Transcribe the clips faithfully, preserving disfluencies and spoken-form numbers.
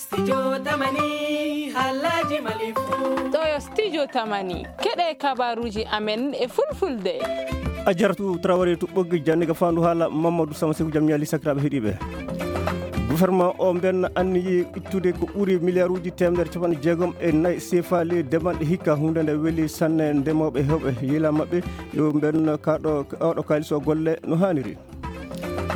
Studio Tamani, haalaaji Mali fuu. Ɗo yo Studio Tamani, keɗe kabaruuji amen e fulfulde. A jaratu Traoré to ɓoggi jannde ga faandu haala Mamadou Sama Seku jam ñaali sakiraaɓe heɗiiɓe. Gouvernement o mben anniyi ittude ko ɓuri miliyaaruuji teemedere capanɗe jeegom e nayi sefa ley demal ɗe hikka, huunde nde weli sanne ndemooɓe heewɓe yila maɓɓe yo mben kaɗo oɗo kaalis o golle no haaniri.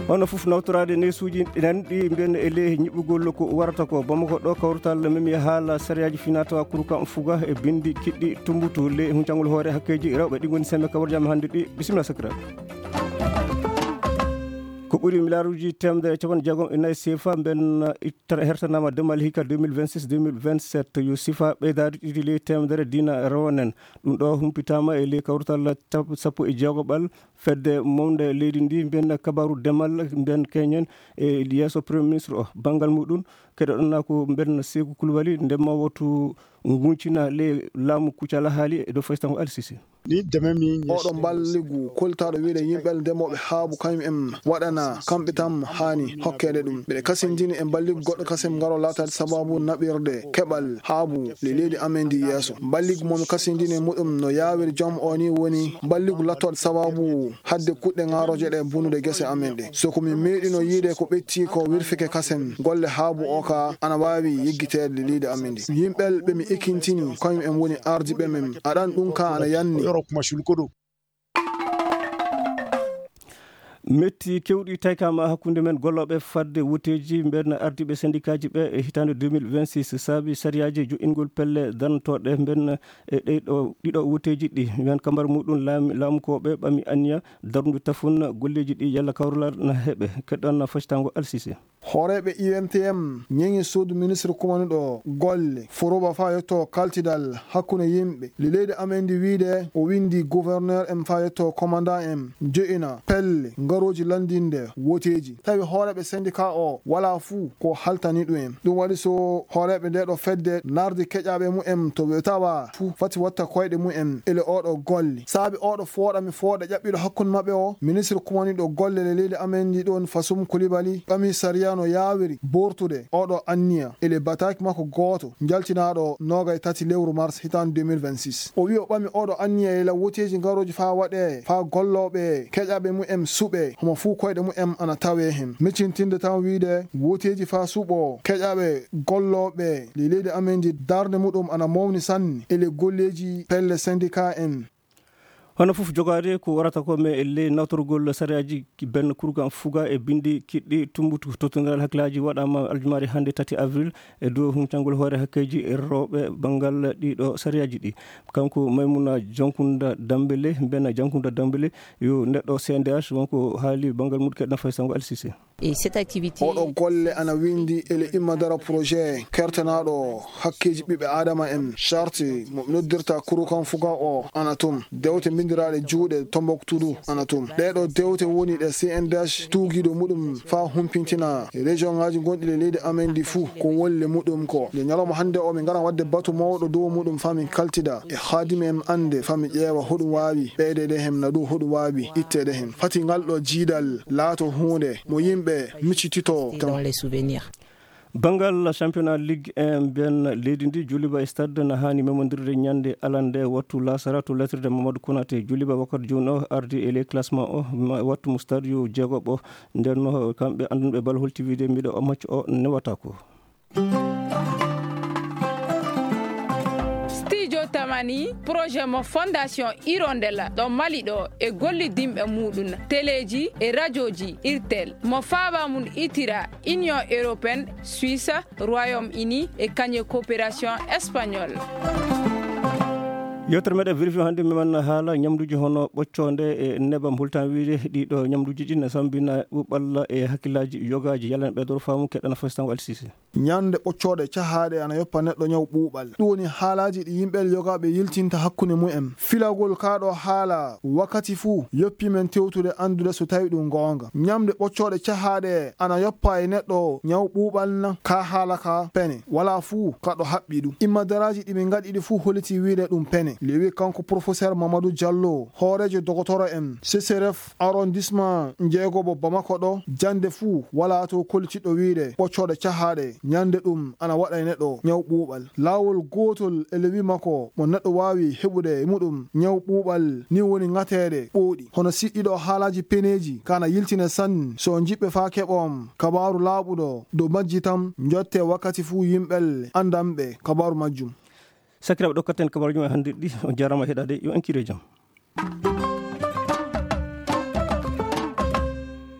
Hono fof nawtoraade neesuuji ɗi nanɗi mbiyen e ley ñiɓɓugol ko warata ko Bamako ɗo kawrutal memi haala sariyaaji finatawa kurkan fuga e bindi kiɗɗi tumbutu ley huncangol hoore hakkeeji rewɓe ɗi ngoni sembe kawar jam hannde ɗi. Bisimilla sakira. Ko ɓuri miliyaaruuji teemedere e capanɗe jeegom e nayi sefa mben ittata hertanama demal hikka deux mille vingt-six deux mille vingt-sept yo sifa ɓeydaade ɗiɗi ley teemedere dina rewonen. Ɗum ɗo humpitama e ley kawrutal tap- sappo e jeegoɓal fedde mawnde leydi ndi mbiyen kabaru demal mbiyen keñen e yeeso premier ministre o banngal muɗum. Keɗoɗon na ko mbiyen Seeku Kulubali ndema wotu nguncina ley laamu kucala haali e dow faysango alsisi. Ni deme mi oɗo mballigu koltaɗo wiide yimɓe ndemooɓe haabu kañum en waɗana kamɓe tan haani hokkeede ɗum. Mbeɗe kasindini e mballigu goɗɗo kasem ngaro laataade sababu naɓirde keɓal haabu le leydi amen ndi yeeso. Mballigu momi kasindini e muɗum no yaawiri joom o ni woni mballigu lattoɗo sababu hadde kuɗɗe ŋaarooje ɗe bonude gese amen ɗe. So ko min meeɗino yiide ko ɓetti ko wirfike kasen golle haabu o ka ana waawi yeggiteede leydi amen ndi. Yimɓe ɓe mi ekintini kañum en woni ardiiɓe men. Aɗan ɗum ka ana yanni. Metti kewɗi taykama hakkunde men gollooɓe fadde woteeji mben ardiiɓe sendikaaji ɓe e hitaande deux mille vingt-six saabi sariyaaji jo'ingol pelle darnotooɗe mben e ɗeyɗo ɗiɗo woteeji ɗi. Mben kambar muɗum laam- laamukooɓe ɓami anniya darndu tafun golleeji ɗi yalla kawrulaar na heɓe. Keɗɗon na fasitango alsise. Hooreeɓe U N T M ñeŋi suudu ministre kumanuɗo golle furoba faa yetto kaltidal hakkunde yimɓe le leydi amen ndi wiide o windi gouverneur en faa yetto commandant en jo'ina pelle ngarooji lanndinde woteeji. Tawi hooreeɓe syndicat o walaa fuu ko haltani ɗum en. Ɗum waɗi so hooreeɓe nde ɗo fedde nardi keƴaaɓe mumen to ɓe tawa fuu fati watta koyɗe mumen ele oɗo golle. Saabi oɗo fooɗa mi fooɗa ƴaɓɓiɗo hakkunde maɓɓe o, ministre kumaniɗo golle le leydi amen ndi ɗon Fasum Kulibali ɓami sariya no yaawiri bortude oɗo anniya ele bataaki makko gooto njaltinaaɗo noogay tati lewru mars hitaande deux mille vingt-six. O wi'i o ɓami oɗo anniya e la woteeji ngarooji faa waɗe faa gollooɓe keƴaaɓe mumen suɓe homo fuu koyɗe mumen ana tawee hen. Miccintinde tan wiide woteeji faa suɓo keƴaaɓe gollooɓe le leydi amen ndi darnde muɗum ana mawni sanne ele golleeji pelle syndicat en. Hono fof jogaade ko warata ko, mais e ley nawtorgol sariyaaji ben kurgan fuga e binndi kiɗɗi tumbutu. Tottondiral hakkillaaji waɗaama aljumaare hannde tati avril e dow humpitangol hoore hakkeeji rewɓe banngal ɗiɗo sariyaaji ɗi. Kanko Maymuna Jankunda Dambele, mbena Jankunda Dambele, yo neɗɗo C N D H, wonko haali banngal mum keɗɗa fay sango Alsise. Et cette activité. Oɗo golle ana windi ele imma dara projet kertanaaɗo hakkeeji ɓiɓɓe Adama en, charte mo noddirta kurukan fuga o ana tum. Dewte mbindiraaɗe juuɗe Tombouctou ana tum. Ɗee ɗo dewte woni ɗe C N D H tuugiiɗo muɗum faa humpintina région ŋaaji gonɗi e leydi amen ndi fuu ko wolle muɗum ko. Nde ñalawma hannde o, min ngara waɗde batu mawɗo dow muɗum faa min kaltida e haadimi en annde faa min ƴeewa hoɗum waawi ɓeydeede hem na dow hoɗum waawi itteede hem. Fati ngal ɗo jiidal laato huunde mo yimɓe miccitito. Dans les souvenirs. Banngal championnat Ligue un mbiyen leydi ndi, Djoulouba e Stade na haani memondirde ñande alande wattu laasara to latirde Mamadou Konaté. Djoulouba wakkati jooni o ardi e ley classement o, ma-, wattu mo stade yo jeegoɓo. Nden no kamɓe annduɓe bal holti wiide miɗo o match o newata ko. Studio Tamani, projet mo Fondation Hirondelle ɗo Mali ɗo e gollidinɓe muɗum, teleeji e rajooji Irtel, mo faaba mum itira Union Européenne, Suisse, Royaume-Uni e kañe coopération espagnole. Yewtere meɗen vérifié hannde, mi manna haala ñamduuji hono ɓoccoonde e nebam. Holtan wiide ɗiɗo ñamduuji ɗi na sambina ɓuɓɓalla e hakkillaaji yogaaji. Yalla en ɓeydoro faamu, keɗɗana fasitango Alsise. Ñande ɓoccoɗe cahaaɗe ana yoppa neɗɗo ñaw ɓuuɓal. Ɗum woni haalaaji ɗi yimɓe yogaaɓe yiltinta hakkunde mumen. Filagol kaa ɗo haala wakkati fuu yoppi men tewtude anndude so tawi ɗum goonga. Ñamde ɓoccoɗe cahaaɗe ana yoppa e neɗɗo ñaw ɓuuɓal na? Kaa haala ka pene. Walaa fuu ka ɗo haɓɓi ɗum. Immadaraaji ɗi min ngaɗi ɗi fuu holliti wiide ɗum pene. Lewi kanko professeur Mamadou Diallo, hooreejo dogotoro en, C C R F arrondissement njeegoɓo Bamako ɗo, jannde fuu walaa to kollitiɗo wiide ɓoccoɗe cahaaɗe Ñande ɗum ana waɗa e neɗɗo ñaw ɓuuɓal. Laawol gootol e lewi makko mo neɗɗo waawi heɓude e muɗum ñaw ɓuuɓal ni woni ŋateede ɓooɗi. Hono siɗɗiɗo haalaaji peneeji kana yiltine sanne so jiɓɓe faa keɓoom kabaaru laaɓuɗo dow majji tan njotte wakkati fuu yimɓel anndanɓe kabaaru majjum. Sakiraaɓe ɗo katten kabaaru jum e hannde ɗi on jarama heɗade yo en kire jam.